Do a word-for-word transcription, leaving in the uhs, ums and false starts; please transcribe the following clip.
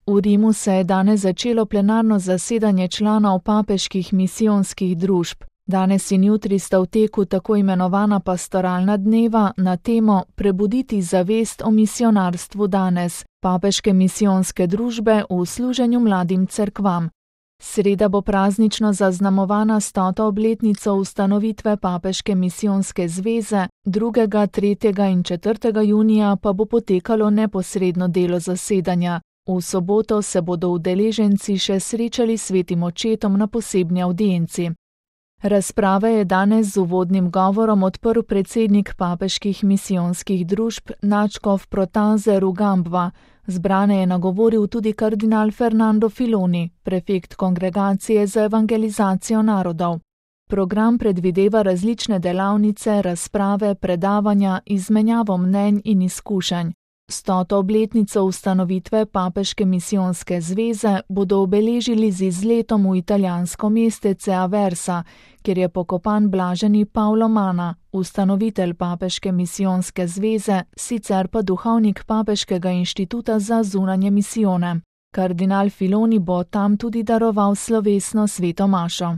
V Rimu se je danes začelo plenarno zasedanje članov papeških misijonskih družb. Danes in jutri sta v teku tako imenovana pastoralna dneva na temo Prebuditi zavest o misijonarstvu danes, papeške misijonske družbe v služenju mladim cerkvam. Sreda bo praznično zaznamovana stoto obletnico ustanovitve Papeške misijonske zveze, drugega, tretjega in četrtega junija pa bo potekalo neposredno delo zasedanja. V soboto se bodo udeleženci še srečali s svetim očetom na posebni avdienci. Razprave je danes z uvodnim govorom odprl predsednik papeških misijonskih družb nadškof Protanze Rugambva. Zbrane je nagovoril tudi kardinal Fernando Filoni, prefekt Kongregacije za evangelizacijo narodov. Program predvideva različne delavnice, razprave, predavanja, izmenjavo mnenj in izkušenj. Stoto obletnico ustanovitve Papeške misijonske zveze bodo obeležili z izletom v italijansko mestece Aversa, kjer je pokopan blaženi Paolo Mana, ustanovitelj Papeške misijonske zveze, sicer pa duhovnik Papeškega inštituta za zunanje misijone. Kardinal Filoni bo tam tudi daroval slovesno sveto mašo.